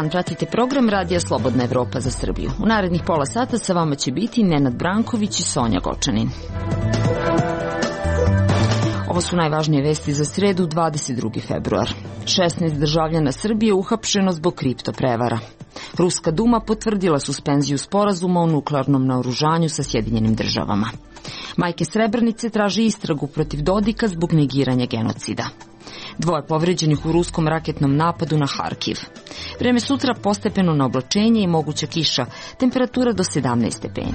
dan, pratite program Radija Slobodna Evropa za Srbiju. U narednih pola sata sa vama će biti Nenad Branković i Sonja Gočanin. Ovo su najvažnije vesti za sredu, 22. februar. 16 državljana Srbije uhapšeno zbog kripto prevara. Ruska Duma potvrdila suspenziju sporazuma o nuklearnom naoružanju sa Sjedinjenim državama. Majke Srebrenice traže istragu protiv Dodika zbog negiranja genocida. 2 povređenih u ruskom raketnom napadu na Harkiv. Vreme sutra postepeno na oblačenje i moguća kiša, temperatura do 17 stepeni.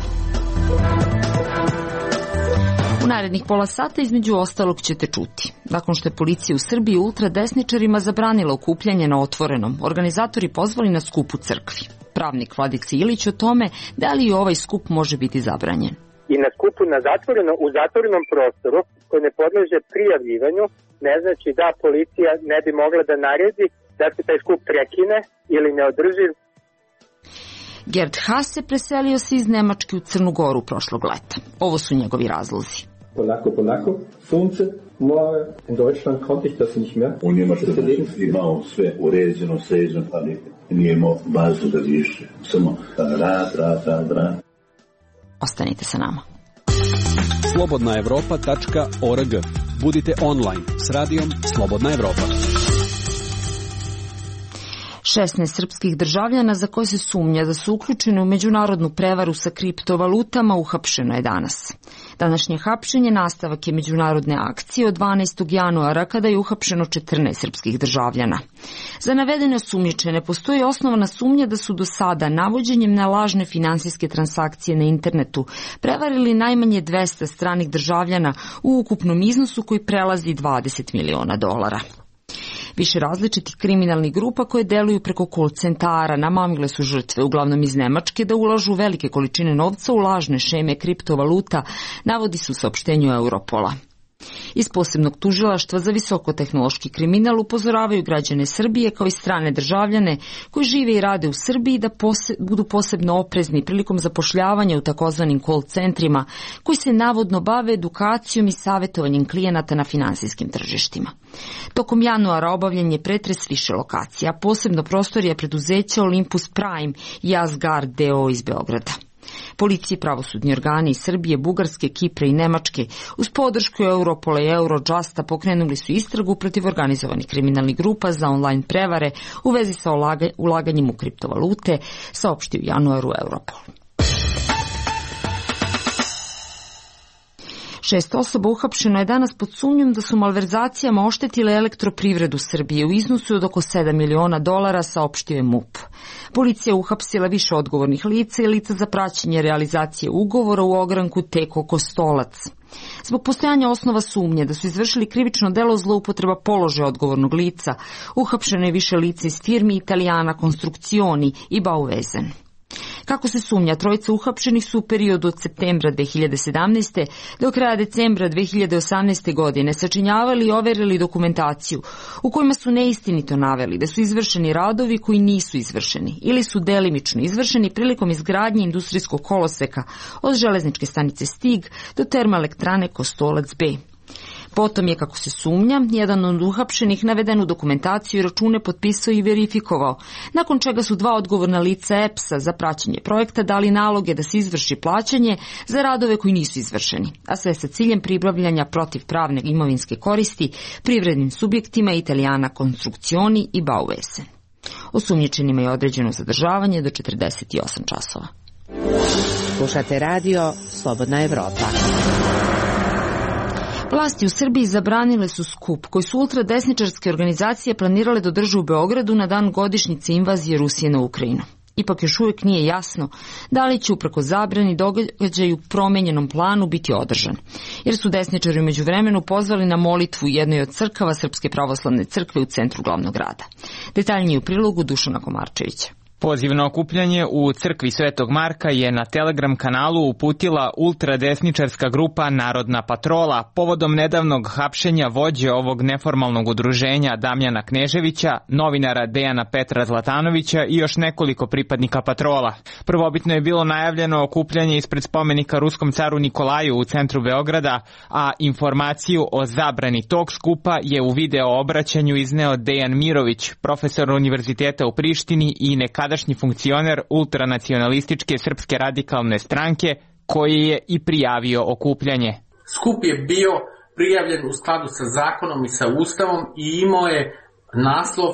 U narednih pola sata između ostalog ćete čuti. Nakon što je policija u Srbiji ultradesničarima zabranila okupljanje na otvorenom, organizatori pozvali na skup u crkvi. Pravnik Vladica Ilić o tome da li i ovaj skup može biti zabranjen. I na skupu u zatvorenom prostoru koji ne podleže prijavljivanju, ne znači da policija ne bi mogla da naredi da se taj skup prekine ili ne održi. Gerd Hase preselio se iz Nemačke u Crnu Goru prošlog leta. Ovo su njegovi razlozi. Polako, sunce, more, in Deutschland konnte ich das nicht mehr. U Njemačkoj imao sve uređeno, sređeno, ali nije imao bazu da više. Samo rad. Ostanite sa nama. slobodnaevropa.org. Budite online s radijom Slobodna Evropa. 16 srpskih državljana za koje se sumnja da su uključeni u međunarodnu prevaru sa kriptovalutama uhapšeno je danas. Današnje hapšenje nastavak je međunarodne akcije od 12. januara kada je uhapšeno 14 srpskih državljana. Za navedene osumnjičene postoji osnovana sumnja da su do sada navođenjem na lažne finansijske transakcije na internetu prevarili najmanje 200 stranih državljana u ukupnom iznosu koji prelazi $20 miliona. Više različitih kriminalnih grupa koje deluju preko call centara namamile su žrtve, uglavnom iz Nemačke, da ulažu velike količine novca u lažne šeme kriptovaluta, navodi se u saopštenju Europola. Iz posebnog tužilaštva za visokotehnološki kriminal upozoravaju građane Srbije kao i strane državljane koji žive i rade u Srbiji da budu posebno oprezni prilikom zapošljavanja u takozvanim call centrima koji se navodno bave edukacijom i savjetovanjem klijenata na finansijskim tržištima. Tokom januara obavljen je pretres više lokacija, posebno prostorija preduzeća Olympus Prime i Asgard DO iz Beograda. Policija i pravosudni organi iz Srbije, Bugarske, Kipra i Nemačke uz podršku Europola i Eurojusta pokrenuli su istragu protiv organizovanih kriminalnih grupa za online prevare u vezi sa ulaganjem u kriptovalute, saopštio u januaru Europol. 6 osoba uhapšeno je danas pod sumnjom da su malverzacijama oštetile elektroprivredu Srbije u iznosu od oko $7 miliona, saopštio je MUP. Policija je uhapsila više odgovornih lica i lica za praćenje realizacije ugovora u ogranku Teko Kostolac. Zbog postojanja osnova sumnje da su izvršili krivično delo zloupotreba položaja odgovornog lica, uhapšeno je više lica iz firmi Italijana Konstrukcioni i Bauvezen. Kako se sumnja, trojica uhapšenih su u periodu od septembra 2017. do kraja decembra 2018. godine sačinjavali i overili dokumentaciju u kojima su neistinito naveli da su izvršeni radovi koji nisu izvršeni ili su delimično izvršeni prilikom izgradnje industrijskog koloseka od železničke stanice Stig do termoelektrane Kostolac B. Potom je, kako se sumnja, jedan od uhapšenih navedenu dokumentaciju i račune potpisao i verifikovao, nakon čega su 2 odgovorna lica EPS-a za praćenje projekta dali naloge da se izvrši plaćanje za radove koji nisu izvršeni, a sve sa ciljem pribavljanja protivpravne imovinske koristi privrednim subjektima Italijana Konstrukcioni i Bauvezen. Osumnjičenima je određeno zadržavanje do 48 časova. Slušate radio Slobodna Evropa. Vlasti u Srbiji zabranile su skup koji su ultradesničarske organizacije planirale da održe u Beogradu na dan godišnjice invazije Rusije na Ukrajinu. Ipak još uvijek nije jasno da li će uprkos zabrani događaj u promenjenom planu biti održan, jer su desničari u međuvremenu pozvali na molitvu u jednoj od crkava Srpske pravoslavne crkve u centru glavnog grada. Detaljnije u prilogu Dušana Komarčevića. Poziv na okupljanje u crkvi Svetog Marka je na Telegram kanalu uputila ultradesničarska grupa Narodna patrola povodom nedavnog hapšenja vođe ovog neformalnog udruženja Damjana Kneževića, novinara Dejana Petra Zlatanovića i još nekoliko pripadnika patrola. Prvobitno je bilo najavljeno okupljanje ispred spomenika ruskom caru Nikolaju u centru Beograda, a informaciju o zabrani tog skupa je u video obraćanju izneo Dejan Mirović, profesor Univerziteta u Prištini i nekadašnji funkcioner ultranacionalističke Srpske radikalne stranke, koji je i prijavio okupljanje. Skup je bio prijavljen u skladu sa zakonom i sa Ustavom i imao je naslov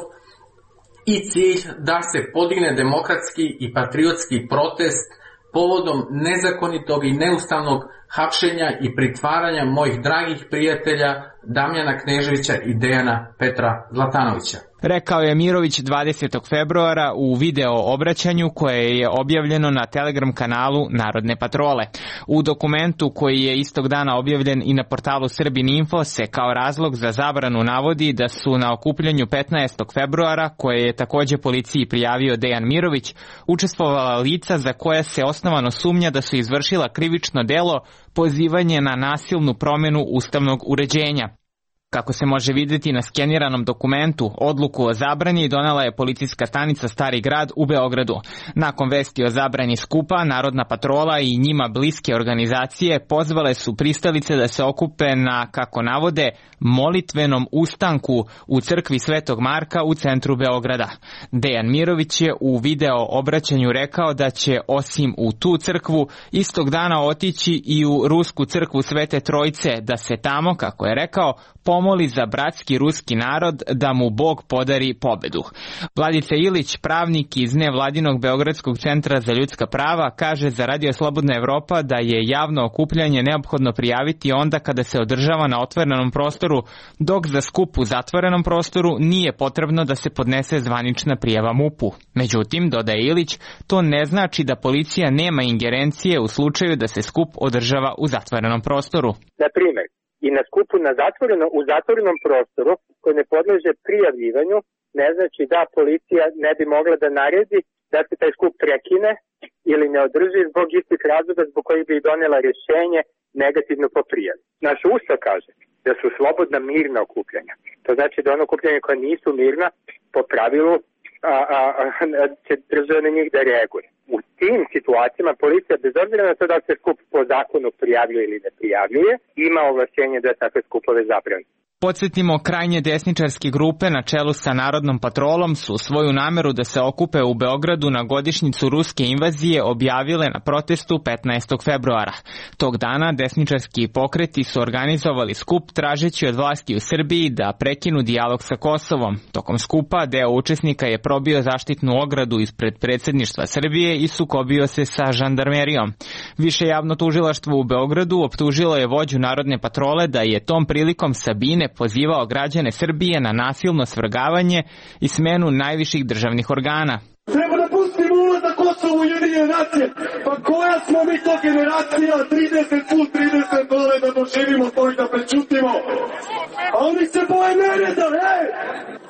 i cilj da se podigne demokratski i patriotski protest povodom nezakonitog i neustavnog hapšenja i pritvaranja mojih dragih prijatelja Damjana Kneževića i Dejana Petra Zlatanovića. Rekao je Mirović 20. februara u video obraćanju koje je objavljeno na Telegram kanalu Narodne patrole. U dokumentu koji je istog dana objavljen i na portalu Srbin Info se kao razlog za zabranu navodi da su na okupljanju 15. februara, koje je takođe policiji prijavio Dejan Mirović, učestvovala lica za koja se osnovano sumnja da su izvršila krivično delo pozivanje na nasilnu promjenu ustavnog uređenja. Kako se može vidjeti na skeniranom dokumentu, odluku o zabrani donela je policijska stanica Stari grad u Beogradu. Nakon vesti o zabrani skupa, Narodna patrola i njima bliske organizacije pozvale su pristalice da se okupe na, kako navode, molitvenom ustanku u crkvi Svetog Marka u centru Beograda. Dejan Mirović je u video obraćanju rekao da će osim u tu crkvu istog dana otići i u rusku crkvu Svete Trojice, da se tamo, kako je rekao, pomoli za bratski ruski narod da mu Bog podari pobedu. Vladica Ilić, pravnik iz nevladinog Beogradskog centra za ljudska prava, kaže za Radio Slobodna Evropa da je javno okupljanje neophodno prijaviti onda kada se održava na otvorenom prostoru, dok za skup u zatvorenom prostoru nije potrebno da se podnese zvanična prijava MUP-u. Međutim, dodaje Ilić, to ne znači da policija nema ingerencije u slučaju da se skup održava u zatvorenom prostoru. Na primjer, i na skupu u zatvorenom prostoru koji ne podleže prijavljivanju, ne znači da policija ne bi mogla da naredi da se taj skup prekine ili ne održi zbog istih razloga zbog kojih bi donela rješenje negativno po prijavi. Naš Ustav kaže da su slobodna mirna okupljanja. To znači da ono okupljanje koja nisu mirna po pravilu će država na njih da reaguje. U tim situacijama policija, bez obzira na to da se skup po zakonu prijavljuje ili ne prijavljuje, ima ovlašćenje da takve skupove zabrani. Podsjetimo, krajnje desničarske grupe na čelu sa Narodnom patrolom su svoju nameru da se okupe u Beogradu na godišnjicu ruske invazije objavile na protestu 15. februara. Tog dana desničarski pokreti su organizovali skup tražeći od vlasti u Srbiji da prekinu dijalog sa Kosovom. Tokom skupa deo učesnika je probio zaštitnu ogradu ispred predsjedništva Srbije i sukobio se sa žandarmerijom. Više javno tužilaštvo u Beogradu optužilo je vođu Narodne patrole da je tom prilikom Sabine pozivao građane Srbije na nasilno svrgavanje i smenu najviših državnih organa. Treba da pustimo ulazak Kosovo u Ujedinjene nacije. Pa koja smo mi to generacija 30+30 dole da doživimo to i da prečutimo? A oni se boje nereda,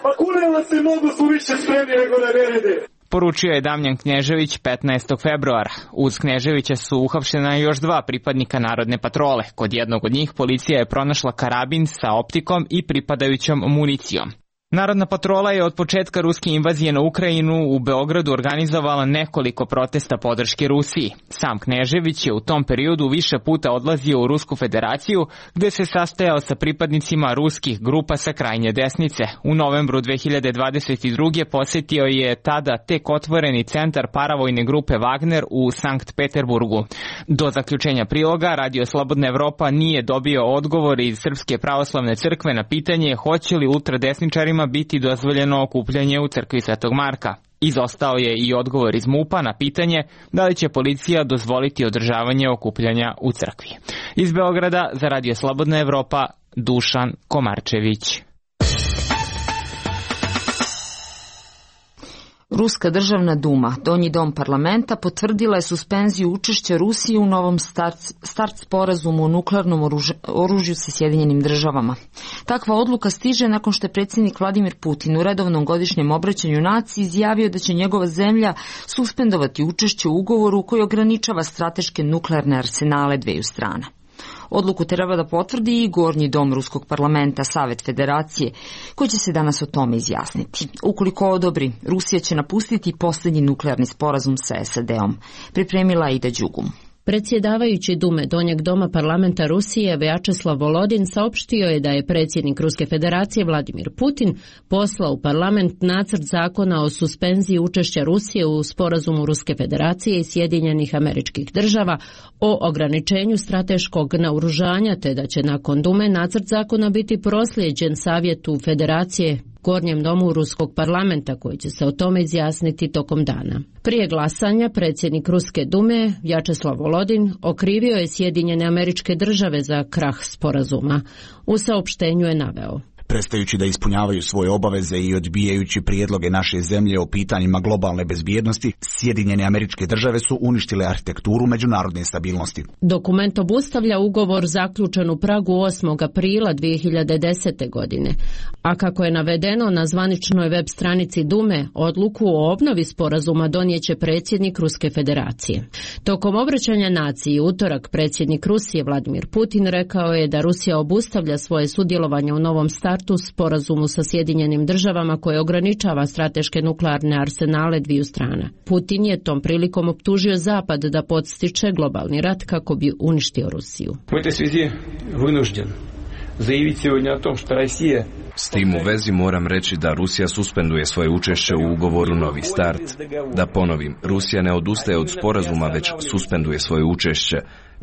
Pa kunela se mnogo su više spremni nego na nerede. Poručio je Damjan Knežević 15. februara. Uz Kneževića su uhapšena još 2 pripadnika Narodne patrole. Kod jednog od njih policija je pronašla karabin sa optikom i pripadajućom municijom. Narodna patrola je od početka ruske invazije na Ukrajinu u Beogradu organizovala nekoliko protesta podrške Rusiji. Sam Knežević je u tom periodu više puta odlazio u Rusku federaciju, gde se sastajao sa pripadnicima ruskih grupa sa krajnje desnice. U novembru 2022. posjetio je tada tek otvoreni centar paravojne grupe Wagner u Sankt Peterburgu. Do zaključenja priloga, Radio Slobodna Evropa nije dobio odgovor iz Srpske pravoslavne crkve na pitanje hoće li ultradesničarima biti dozvoljeno okupljanje u crkvi Svetog Marka. Izostao je i odgovor iz MUP-a na pitanje da li će policija dozvoliti održavanje okupljanja u crkvi. Iz Beograda za Radio Slobodna Evropa, Dušan Komarčević. Ruska državna duma, donji dom parlamenta, potvrdila je suspenziju učešća Rusije u novom start sporazumu o nuklearnom oružju sa Sjedinjenim državama. Takva odluka stiže nakon što je predsjednik Vladimir Putin u redovnom godišnjem obraćanju naciji izjavio da će njegova zemlja suspendovati učešće u ugovoru koji ograničava strateške nuklearne arsenale dveju strana. Odluku treba da potvrdi i Gornji dom Ruskog parlamenta, Savet Federacije, koji će se danas o tome izjasniti. Ukoliko odobri, Rusija će napustiti posljednji nuklearni sporazum sa SAD-om, pripremila Aida Đugum. Predsjedavajući Dume Donjeg doma parlamenta Rusije Vjačeslav Volodin saopštio je da je predsjednik Ruske federacije Vladimir Putin poslao u parlament nacrt zakona o suspenziji učešća Rusije u sporazumu Ruske federacije i Sjedinjenih Američkih Država o ograničenju strateškog naoružanja, te da će nakon Dume nacrt zakona biti proslijeđen Savjetu Federacije, Gornjem domu Ruskog parlamenta, koji će se o tome izjasniti tokom dana. Prije glasanja predsjednik Ruske dume Vjačeslav Volodin okrivio je Sjedinjene Američke Države za krah sporazuma. U saopštenju je naveo: prestajući da ispunjavaju svoje obaveze i odbijajući prijedloge naše zemlje o pitanjima globalne bezbjednosti, Sjedinjene Američke Države su uništile arhitekturu međunarodne stabilnosti. Dokument obustavlja ugovor zaključen u Pragu 8. aprila 2010. godine, a kako je navedeno na zvaničnoj web stranici Dume, odluku o obnovi sporazuma donijeće predsjednik Ruske federacije. Tokom obraćanja naciji utorak predsjednik Rusije Vladimir Putin rekao je da Rusija obustavlja svoje sudjelovanje u novom startu sporazumu sa Sjedinjenim Državama koje ograničava strateške nuklearne arsenale dviju strana. Putin je tom prilikom optužio Zapad da podstiče globalni rat kako bi uništio Rusiju. S tim u vezi moram reći da Rusija suspenduje svoje učešće u ugovoru Novi start. Da ponovim, Rusija ne odustaje od sporazuma, već suspenduje svoje učešće.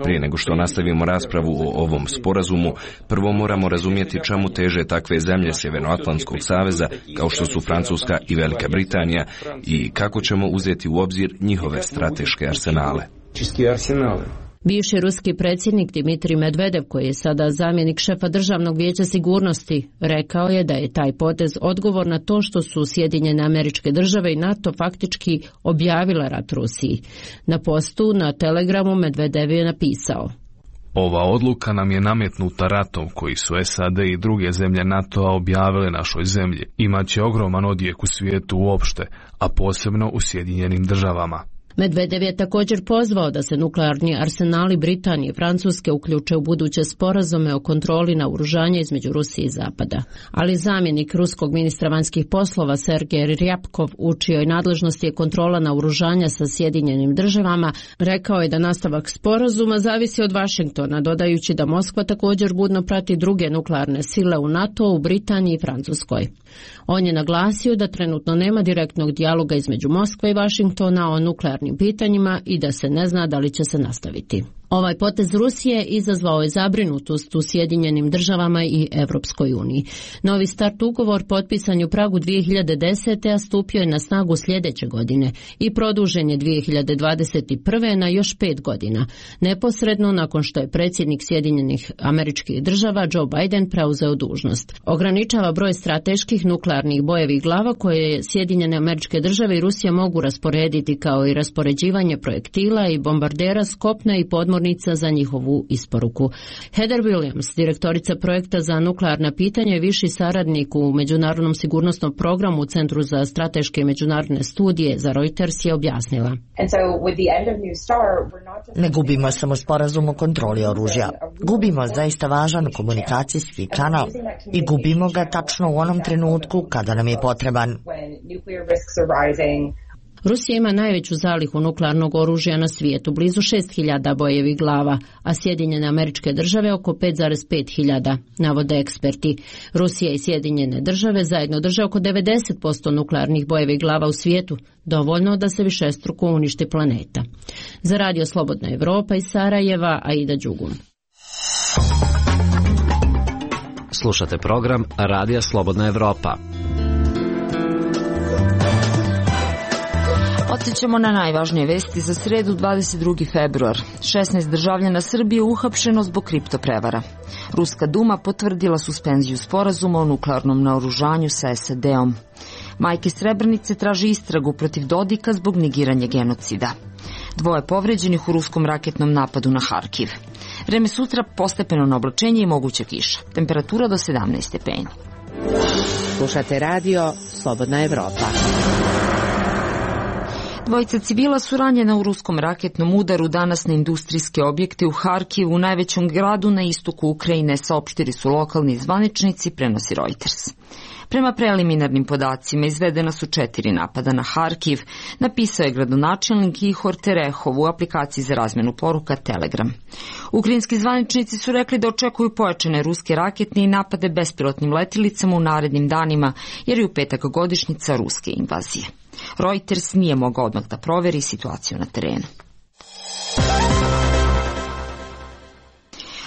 Prije nego što nastavimo raspravu o ovom sporazumu, prvo moramo razumjeti čemu teže takve zemlje Sjevernoatlantskog saveza kao što su Francuska i Velika Britanija i kako ćemo uzeti u obzir njihove strateške arsenale. Bivši ruski predsjednik Dmitrij Medvedev, koji je sada zamjenik šefa Državnog vijeća sigurnosti, rekao je da je taj potez odgovor na to što su Sjedinjene Američke Države i NATO faktički objavile rat Rusiji. Na postu na Telegramu Medvedev je napisao: ova odluka nam je nametnuta ratom koji su SAD i druge zemlje NATO-a objavile našoj zemlji. Imaće ogroman odjek u svijetu uopšte, a posebno u Sjedinjenim Državama. Medvedev je također pozvao da se nuklearni arsenali Britanije i Francuske uključe u buduće sporazume o kontroli naoružanja između Rusije i Zapada. Ali zamjenik ruskog ministra vanjskih poslova Sergej Rjapkov, u čijoj nadležnosti je kontrola naoružanja sa Sjedinjenim Državama, rekao je da nastavak sporazuma zavisi od Vašingtona, dodajući da Moskva također budno prati druge nuklearne sile u NATO, u Britaniji i Francuskoj. On je naglasio da trenutno nema direktnog dijaloga između Moskve i Vašingtona o nuklearnim pitanjima i da se ne zna da li će se nastaviti. Ovaj potez Rusije izazvao je zabrinutost u Sjedinjenim Državama i Europskoj uniji. Novi start ugovor potpisan je u Pragu 2010. a stupio je na snagu sljedeće godine i produžen je 2021. na još 5 godina, neposredno nakon što je predsjednik Sjedinjenih Američkih Država Joe Biden preuzeo dužnost. Ograničava broj strateških nuklearnih bojevih glava koje Sjedinjene Američke Države i Rusija mogu rasporediti, kao i raspoređivanje projektila i bombardera s kopna i podmornica za njihovu isporuku. Heather Williams, direktorica projekta za nuklearna pitanja i viši saradnik u Međunarodnom sigurnosnom programu u Centru za strateške i međunarodne studije za Reuters, je objasnila: ne gubimo samo sporazum o kontroli oružja. Gubimo zaista važan komunikacijski kanal i gubimo ga tačno u onom trenutku kada nam je potreban. Rusija ima najveću zalihu nuklearnog oružja na svijetu, blizu 6.000 bojevih glava, a Sjedinjene Američke Države oko 5,5 navode eksperti. Rusija i Sjedinjene Države zajedno drže oko 90% nuklearnih bojevih glava u svijetu, dovoljno da se višestruko uništi planeta. Za Radio Slobodna Evropa iz Sarajeva, Aida Đugum. Slušate program Radija Slobodna Evropa. Podsjećamo na najvažnije vesti za sredu 22. februar. 16 državljana Srbije uhapšeno zbog kriptoprevara. Ruska duma potvrdila suspenziju sporazuma o nuklearnom naoružanju sa SAD-om. Majke Srebrenice traže istragu protiv Dodika zbog negiranja genocida. 2 povređenih u ruskom raketnom napadu na Harkiv. Vreme sutra postepeno na oblačenje i moguća kiša. Temperatura do 17 stepeni. Slušate radio Slobodna Evropa. 2 civila su ranjena u ruskom raketnom udaru danas na industrijske objekte u Harkivu, najvećem gradu na istoku Ukrajine, saopštili su lokalni zvaničnici, prenosi Reuters. Prema preliminarnim podacima izvedena su 4 napada na Harkiv, napisao je gradonačelnik Ihor Terehov u aplikaciji za razmenu poruka Telegram. Ukrajinski zvaničnici su rekli da očekuju pojačane ruske raketne i napade bespilotnim letjelicama u narednim danima, jer je u petak godišnjica ruske invazije. Reuters nije mogao odmah da proveri situaciju na terenu.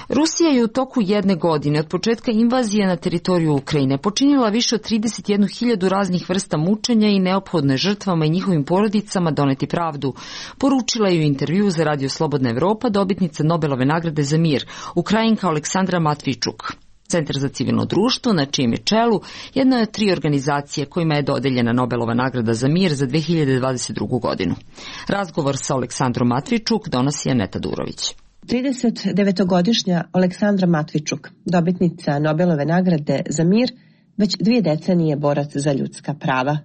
Rusija je u toku 1 godine od početka invazije na teritoriju Ukrajine počinila više od 31.000 raznih vrsta mučenja i neophodno je žrtvama i njihovim porodicama doneti pravdu, poručila je u intervjuu za Radio Slobodna Evropa dobitnica Nobelove nagrade za mir, Ukrajinka Aleksandra Matvičuk. Centar za civilno društvo, na čijem je čelu, jedna je od 3 organizacije kojima je dodeljena Nobelova nagrada za mir za 2022. godinu. Razgovor sa Aleksandrom Matvičuk donosi Aneta Durović. 39-godišnja Aleksandra Matvičuk, dobitnica Nobelove nagrade za mir, već 2 decenije borac za ljudska prava.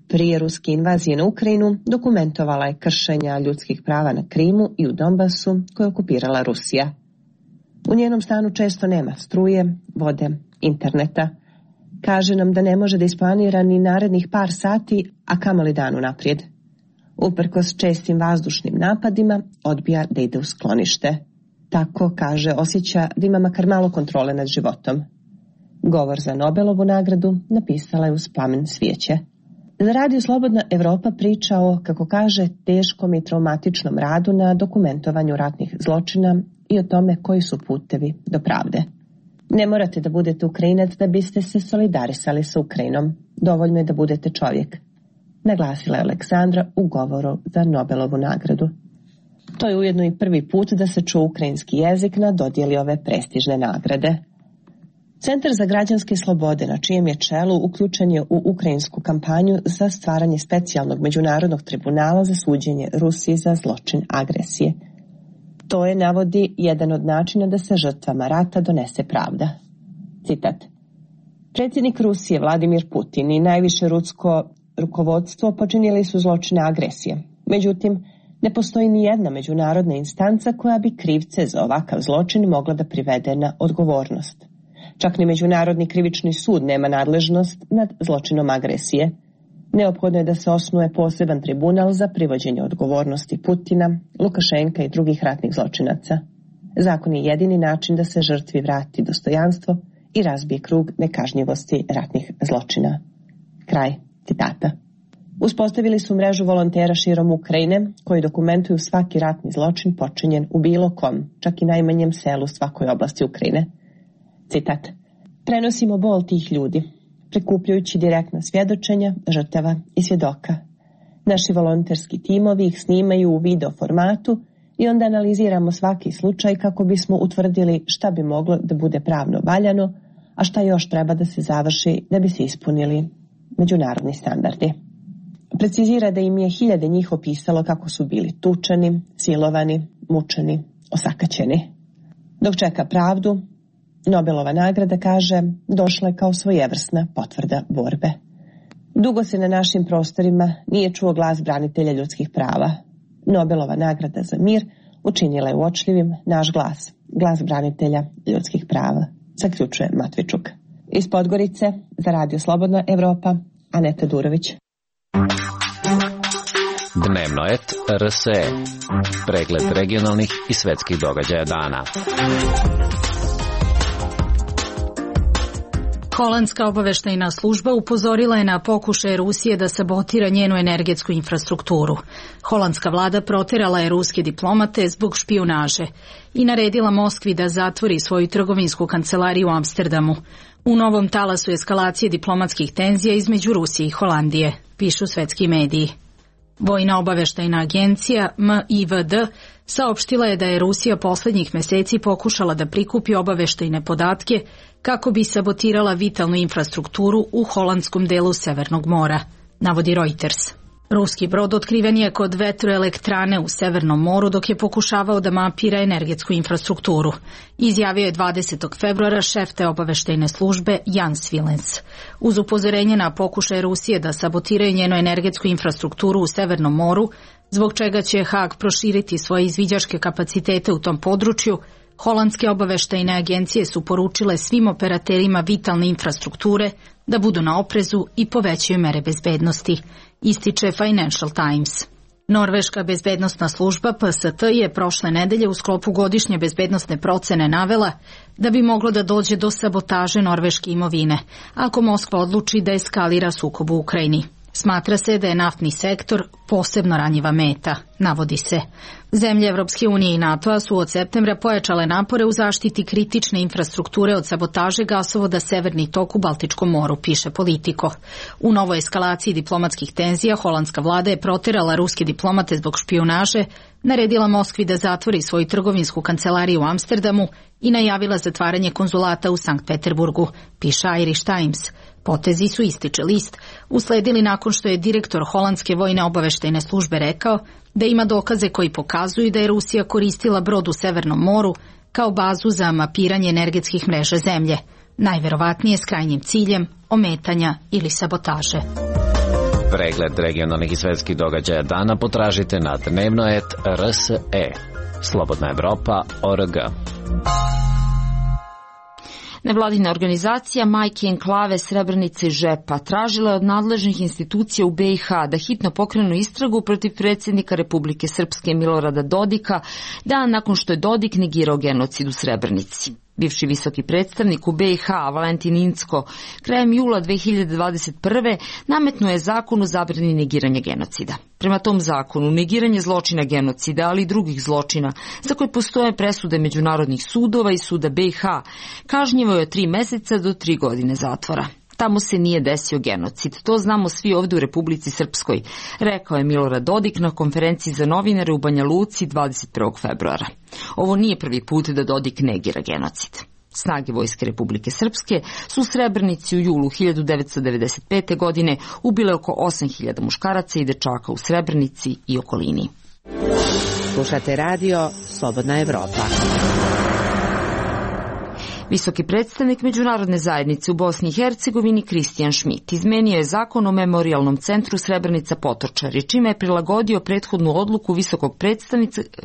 Prije ruske invazije na Ukrajinu dokumentovala je kršenja ljudskih prava na Krimu i u Donbasu koje je okupirala Rusija. U njenom stanu često nema struje, vode, interneta. Kaže nam da ne može da isplanira ni narednih par sati, a kamoli dan unaprijed. Uprkos čestim vazdušnim napadima, odbija da ide u sklonište. Tako, kaže, osjeća da ima makar malo kontrole nad životom. Govor za Nobelovu nagradu napisala je uz plamen svijeće. Za Radio Slobodna Evropa priča o, kako kaže, teškom i traumatičnom radu na dokumentovanju ratnih zločina i o tome koji su putevi do pravde. Ne morate da budete Ukrajinac da biste se solidarisali sa Ukrajinom. Dovoljno je da budete čovjek, naglasila je Aleksandra u govoru za Nobelovu nagradu. To je ujedno i prvi put da se čuje ukrajinski jezik na dodjeli ove prestižne nagrade. Centar za građanske slobode, na čijem je čelu, uključen je u ukrajinsku kampanju za stvaranje specijalnog međunarodnog tribunala za suđenje Rusiji za zločin agresije. To je, navodi, jedan od načina da se žrtvama rata donese pravda. Citat. Predsjednik Rusije Vladimir Putin i najviše rusko rukovodstvo počinili su zločine agresije. Međutim, ne postoji ni jedna međunarodna instanca koja bi krivce za ovakav zločin mogla da privede na odgovornost. Čak ni Međunarodni krivični sud nema nadležnost nad zločinom agresije. Neophodno je da se osnuje poseban tribunal za privođenje odgovornosti Putina, Lukašenka i drugih ratnih zločinaca. Zakon je jedini način da se žrtvi vrati dostojanstvo i razbije krug nekažnjivosti ratnih zločina. Kraj citata. Uspostavili su mrežu volontera širom Ukrajine koji dokumentuju svaki ratni zločin počinjen u bilo kom, čak i najmanjem selu svakoj oblasti Ukrajine. Citat. Prenosimo bol tih ljudi, prikupljujući direktna svjedočenja, žrtava i svjedoka. Naši volonterski timovi ih snimaju u video formatu i onda analiziramo svaki slučaj kako bismo utvrdili šta bi moglo da bude pravno valjano, a šta još treba da se završi da bi se ispunili međunarodni standardi. Precizira da im je 1000 njih opisalo kako su bili tučeni, silovani, mučeni, osakaćeni. Dok čeka pravdu, Nobelova nagrada, kaže, došla je kao svojevrsna potvrda borbe. Dugo se na našim prostorima nije čuo glas branitelja ljudskih prava. Nobelova nagrada za mir učinila je uočljivim naš glas, glas branitelja ljudskih prava, zaključuje Matvičuk. Iz Podgorice za Radio Slobodna Evropa, Aneta Durović. Dnevnoet RSE. Pregled regionalnih i svetskih događaja dana. Holandska obaveštajna služba upozorila je na pokušaje Rusije da sabotira njenu energetsku infrastrukturu. Holandska vlada proterala je ruske diplomate zbog špijunaže i naredila Moskvi da zatvori svoju trgovinsku kancelariju u Amsterdamu. U novom talasu eskalacije diplomatskih tenzija između Rusije i Holandije, pišu svetski mediji. Vojna obaveštajna agencija MIVD saopštila je da je Rusija poslednjih meseci pokušala da prikupi obaveštajne podatke kako bi sabotirala vitalnu infrastrukturu u holandskom delu Severnog mora, navodi Reuters. Ruski brod otkriven je kod vetroelektrane u Severnom moru dok je pokušavao da mapira energetsku infrastrukturu. Izjavio je 20. februara šef te obaveštajne službe Jans Vilens. Uz upozorenje na pokušaj Rusije da sabotiraju njenu energetsku infrastrukturu u Severnom moru, zbog čega će Haag proširiti svoje izviđačke kapacitete u tom području, holandske obaveštajne agencije su poručile svim operaterima vitalne infrastrukture da budu na oprezu i povećaju mere bezbednosti, ističe Financial Times. Norveška bezbednosna služba PST je prošle nedelje u sklopu godišnje bezbednosne procene navela da bi moglo da dođe do sabotaže norveške imovine ako Moskva odluči da eskalira sukob u Ukrajini. Smatra se da je naftni sektor posebno ranjiva meta, navodi se. Zemlje Evropske unije i NATO-a su od septembra pojačale napore u zaštiti kritične infrastrukture od sabotaže gasovoda Severni tok u Baltičkom moru, piše Politico. U novoj eskalaciji diplomatskih tenzija holandska vlada je proterala ruske diplomate zbog špijunaže, naredila Moskvi da zatvori svoju trgovinsku kancelariju u Amsterdamu i najavila zatvaranje konzulata u Sankt Peterburgu, piše Irish Times. Potezi su, ističe list, usledili nakon što je direktor holandske vojne obaveštajne službe rekao da ima dokaze koji pokazuju da je Rusija koristila brod u Severnom moru kao bazu za mapiranje energetskih mreža zemlje, najverovatnije s krajnjim ciljem ometanja ili sabotaže. Pregled regionalnih i svetskih događaja dana potražite na dnevno.rs.e. Slobodna Evropa.org. Nevladina organizacija Majke Enklave Srebrenice i Žepa tražila je od nadležnih institucija u BiH da hitno pokrenu istragu protiv predsjednika Republike Srpske Milorada Dodika, dan nakon što je Dodik negirao genocid u Srebrenici. Bivši visoki predstavnik u BiH Valentin Incko krajem jula 2021. nametnuo je zakon o zabrani negiranja genocida. Prema tom zakonu, negiranje zločina genocida, ali i drugih zločina, za koje postoje presude međunarodnih sudova i suda BiH, kažnjivo je od 3 meseca do 3 godine zatvora. Tamo se nije desio genocid, to znamo svi ovdje u Republici Srpskoj, rekao je Milorad Dodik na konferenciji za novinare u Banja Luci 21. februara. Ovo nije prvi put da Dodik negira genocid. Snage Vojske Republike Srpske su u Srebrenici u julu 1995. godine ubile oko 8.000 muškaraca i dečaka u Srebrenici i okolini. Slušate radio Slobodna Evropa. Visoki predstavnik međunarodne zajednice u Bosni i Hercegovini Kristijan Šmit izmenio je zakon o memorijalnom centru Srebrenica Potočari, čime je prilagodio prethodnu odluku visokog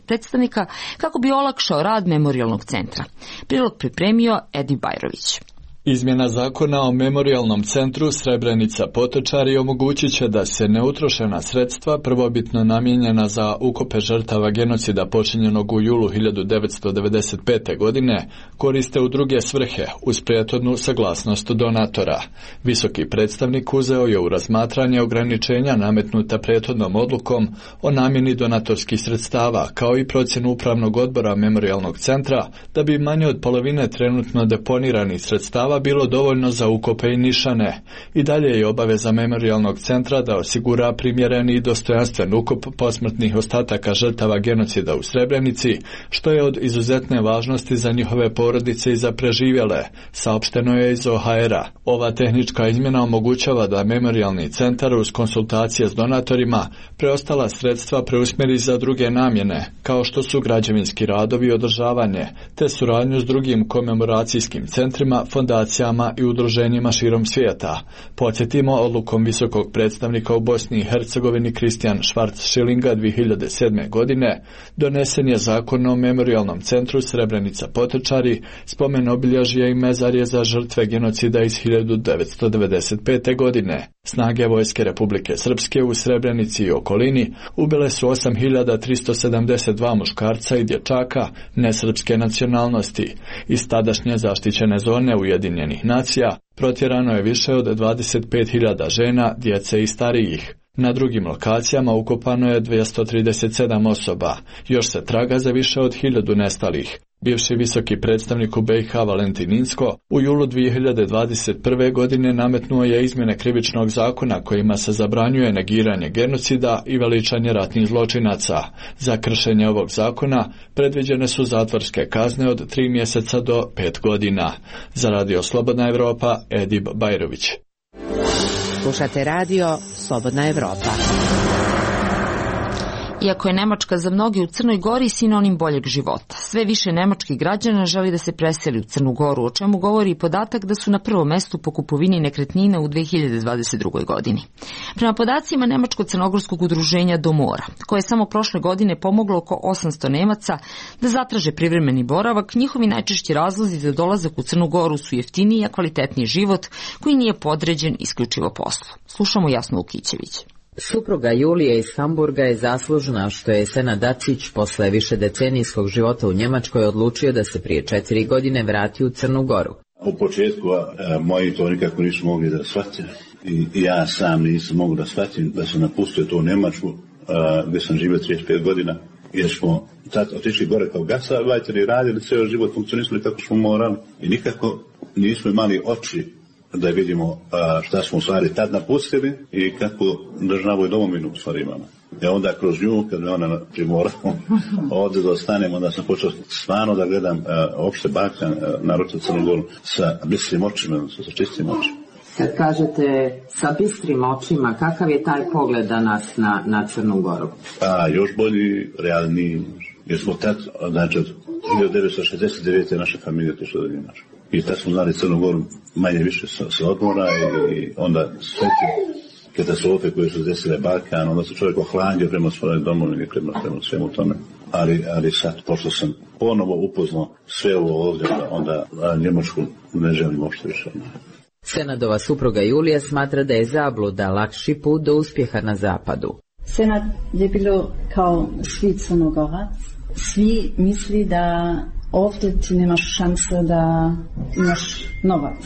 predstavnika kako bi olakšao rad memorijalnog centra. Prilog pripremio Edi Bajrović. Izmjena zakona o memorijalnom centru Srebrenica Potočari omogućit će da se neutrošena sredstva prvobitno namijenjena za ukope žrtava genocida počinjenog u julu 1995. godine koriste u druge svrhe uz prethodnu saglasnost donatora. Visoki predstavnik uzeo je u razmatranje ograničenja nametnuta prethodnom odlukom o namjeni donatorskih sredstava kao i procjenu upravnog odbora memorijalnog centra da bi manje od polovine trenutno deponiranih sredstava bilo dovoljno za ukope i nišane. I dalje je obaveza memorijalnog centra da osigura primjereni i dostojanstven ukop posmrtnih ostataka žrtava genocida u Srebrenici, što je od izuzetne važnosti za njihove porodice i za preživjele, saopšteno je iz OHR-a. Ova tehnička izmjena omogućava da memorijalni centar uz konsultacije s donatorima preostala sredstva preusmjeri za druge namjene, kao što su građevinski radovi i održavanje, te suradnju s drugim komemoracijskim centrima, fondacijama i udruženjima širom svijeta. Podsjetimo, odlukom visokog predstavnika u Bosni i Hercegovini Kristijan Schwarz-Schillinga 2007. godine donesen je zakon o memorijalnom centru Srebrenica Potočari, spomen obilježje i mezarje za žrtve genocida iz 1995. godine. Snage Vojske Republike Srpske u Srebrenici i okolini ubile su 8.372 muškarca i dječaka nesrpske nacionalnosti. Iz tadašnje zaštićene zone Ujedinjenih nacija protjerano je više od 25.000 žena, djece i starijih. Na drugim lokacijama ukopano je 237 osoba. Još se traga za više od 1000 nestalih. Bivši visoki predstavnik u BiH Valentin Inzko u julu 2021. godine nametnuo je izmjene krivičnog zakona kojima se zabranjuje negiranje genocida i veličanje ratnih zločinaca. Za kršenje ovog zakona predviđene su zatvorske kazne od 3 mjeseca do 5 godina. Za Radio Slobodna Evropa, Edib Bajrović. Slušate radio Slobodna Evropa. Iako je Nemačka za mnogi u Crnoj Gori sinonim boljeg života, sve više nemačkih građana želi da se preseli u Crnu Goru, o čemu govori i podatak da su na prvom mestu po kupovini nekretnina u 2022. godini. Prema podacima Nemačko-crnogorskog udruženja Domora, koje je samo prošle godine pomoglo oko 800 Nemaca da zatraže privremeni boravak, njihovi najčešći razlozi za dolazak u Crnu Goru su jeftiniji, a kvalitetniji život koji nije podređen isključivo poslu. Slušamo Jasnu Ukićević. Supruga Julije iz Hamburga je zaslužna što je Senad Dacić posle višedecenijskog života u Njemačkoj odlučio da se prije 4 godine vrati u Crnu Goru. U početku moji to nikako nisu mogli da shvatim i ja sam nisam mogu da shvatim da sam napustio to u Njemačku gdje sam živio 35 godina jer smo tad otišli gore kao gastarbeiteri, radili ceo život, funkcionisali kako smo morali i nikako nismo imali oči da vidimo šta smo u stvari tad napustili i kako državu i domovinu u stvari imamo. I onda kroz nju, kad me ona primorala ovdje da ostanem, onda sam počeo stvarno da gledam opšte Balkan, naročito Crnu Goru, sa bistrim očima, sa čistim očima. Kad kažete sa bistrim očima, kakav je taj pogled danas na Crnu Goru? Još bolji, realniji, jer smo tad, znači od 1969. naša familija otišla do Njemačke. I tad smo znali Crnu Goru manje više sa odmora i onda sve te katastrofe koje su desile Balkan, onda se čovjek ohlandio prema svojoj domovini, prema svemu tome. Ali sad, pošto sam ponovo upoznao sve ovo ovdje, onda Njemačku ne želim uopšte više. Senadova supruga Julija smatra da je zabluda lakši put do uspjeha na zapadu. Senad je bilo kao svi Crnogorac. Svi misli da ovdje ti nemaš šanse da imaš novac.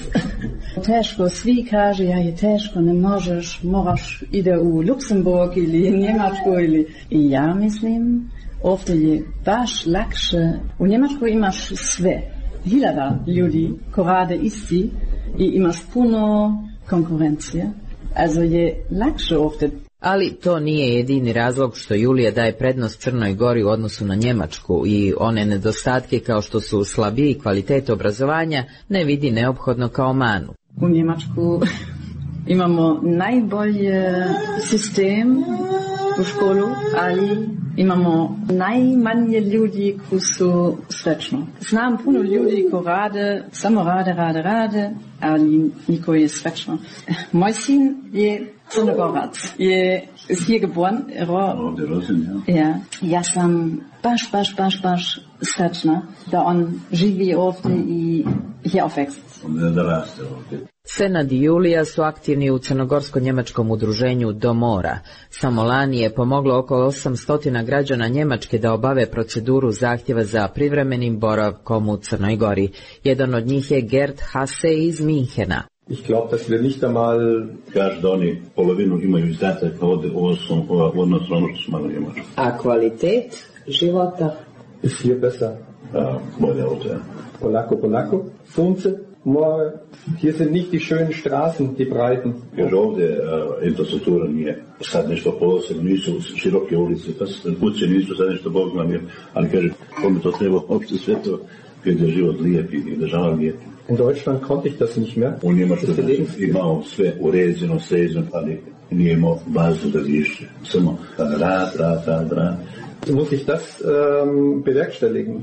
Teško, svi kaže, ja je teško, ne možeš, moraš ide u Luksemburg ili Njemačku ili... I ja mislim, ovdje je baš lakše. U Njemačkoj imaš sve. 1000 ljudi ko rade isti i imaš puno konkurencije. Also je lakše ovdje. Ali to nije jedini razlog što Julija daje prednost Crnoj Gori u odnosu na Njemačku i one nedostatke kao što su slabiji kvalitet obrazovanja ne vidi neophodno kao manu. U Njemačku imamo najbolji sistem u školu, ali imamo najmanje ljudi koji su srećni. Znam puno ljudi koji rade, samo rade, ali niko je srećno. Moj sin je Crnogorac, je hier geboren, ja. Ja sam baš srećna da on živi ovdje i hier aufwächst. Senad i Julija su aktivni u crnogorsko-njemačkom udruženju Domora. Samo lani je pomoglo oko 800 građana Njemačke da obave proceduru zahtjeva za privremenim boravkom u Crnoj Gori. Jedan od njih je Gerd Hasse iz Minhena. Ich glaube, dass wir nicht einmal... Kaže da oni polovinu imaju izdataka od odnosno ono što smo imali u Njemačku. A kvalitet života? Ist hier besser. Bolje ovdje. Polako. Sunce, more. Hier sind nicht die schönen Straßen, die breiten. Jer ovdje infrastruktura nije sad nešto posebno, nisu široke ulice, kuće nisu sad nešto Bog nam je, ali kaže, kome to treba uopšte sve to, gdje je život lijep i država lijep. In Deutschland konnte ich das nicht mehr. U Njemačkoj imao sve uređeno, sređeno, ali nije imao bazu da više. Samo rad. Muss ich das bewerkstelligen?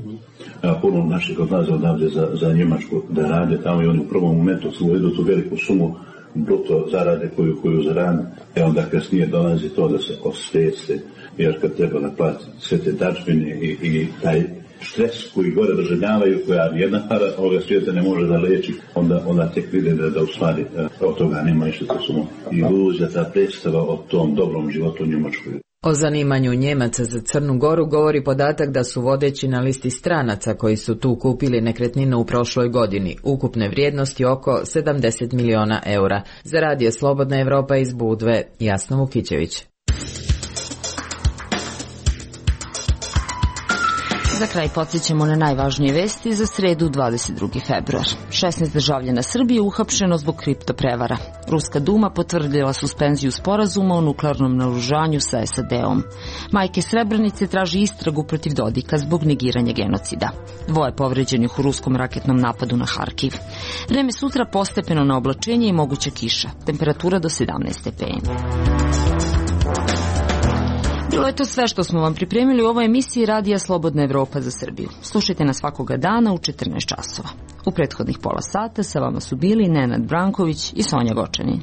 Puno naših odlaze odavde za Njemačku da rade tamo i oni u prvom momentu vedu tu veliku sumu bruto zarade koju zarade, onda kasnije dolazi to da se osvijeste, jer kad treba naplatiti sve te dačbine i taj stres koji gore doživljavaju, koja jedna para ovoga svijeta ne može da leči, onda tek vide da u stvari od toga nema ništa to sumo. Iluzija, ta predstava o tom dobrom životu u Njemačkoj. O zanimanju Njemaca za Crnu Goru govori podatak da su vodeći na listi stranaca koji su tu kupili nekretninu u prošloj godini, ukupne vrijednosti oko 70 miliona eura. Za Radio Slobodna Evropa iz Budve, Jasna Vukićević. Za kraj podsjećamo na najvažnije vesti za sredu 22. februar. 16 državljana Srbije uhapšeno zbog kriptoprevara. Ruska Duma potvrdila suspenziju sporazuma o nuklearnom naoružanju sa SAD-om. Majke Srebrenice traži istragu protiv Dodika zbog negiranja genocida. 2 povređenih u ruskom raketnom napadu na Harkiv. Vreme sutra postepeno na oblačenje i moguća kiša. Temperatura do 17 stepeni. Bilo je to sve što smo vam pripremili u ovoj emisiji Radija Slobodna Evropa za Srbiju. Slušajte nas svakoga dana u 14 časova. U prethodnih pola sata sa vama su bili Nenad Branković i Sonja Gočanin.